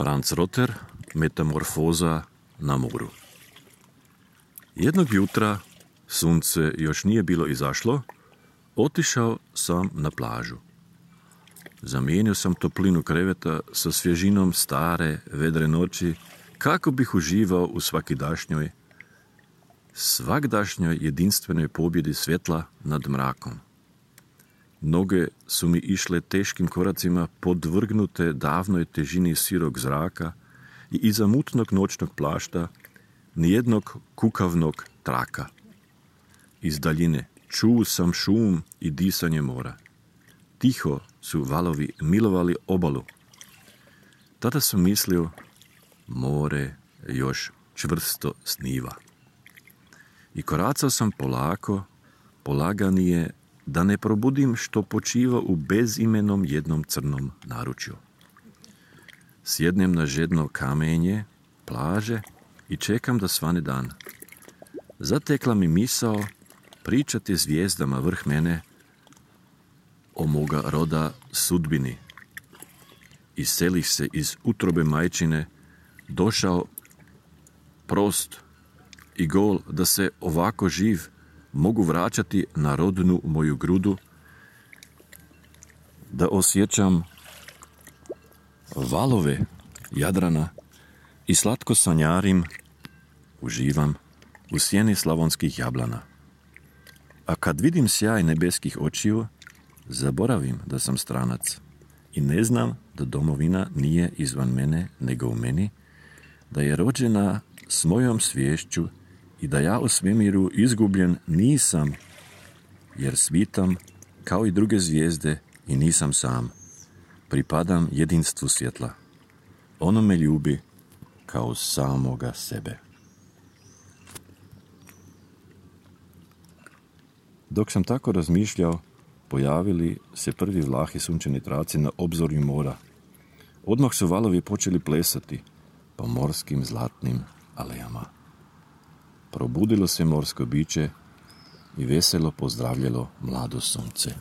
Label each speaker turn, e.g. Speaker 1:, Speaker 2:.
Speaker 1: Franz Rotter, Metamorfoza na moru. Jednog jutra, sunce još nije bilo izašlo, otišao sam na plažu. Zamijenio sam toplinu kreveta sa svježinom stare, vedre noći, kako bih uživao u svagdašnjoj jedinstvenoj pobjedi svjetla nad mrakom. Noge su mi išle teškim koracima podvrgnute davnoj težini sirog zraka i iza mutnog noćnog plašta nijednog kukavnog traka. Iz daljine čuo sam šum i disanje mora. Tiho su valovi milovali obalu. Tada sam mislio, more još čvrsto sniva. I koracao sam polako, polaganije, da ne probudim što počiva u bezimenom jednom crnom naručju. Sjednem na žedno kamenje plaže i čekam da svane dan. Zatekla mi misao pričati zvijezdama vrh mene o moga roda sudbini. Iselih se iz utrobe majčine, došao prost i gol da se ovako živ mogu vraćati na rodnu moju grudu, da osjećam valove Jadrana i slatko sanjarim, uživam u sjeni slavonskih jablana. A kad vidim sjaj nebeskih očiju, zaboravim da sam stranac i ne znam da domovina nije izvan mene nego u meni, da je rođena s mojom sviješću i da ja u svemiru izgubljen nisam, jer svitam kao i druge zvijezde i nisam sam. Pripadam jedinstvu svjetla. Ono me ljubi kao samoga sebe. Dok sam tako razmišljao, pojavili se prvi vlahi sunčani traci na obzorju mora. Odmah su valovi počeli plesati po morskim zlatnim alejama. Probudilo se morsko biće i veselo pozdravljalo mlado sunce.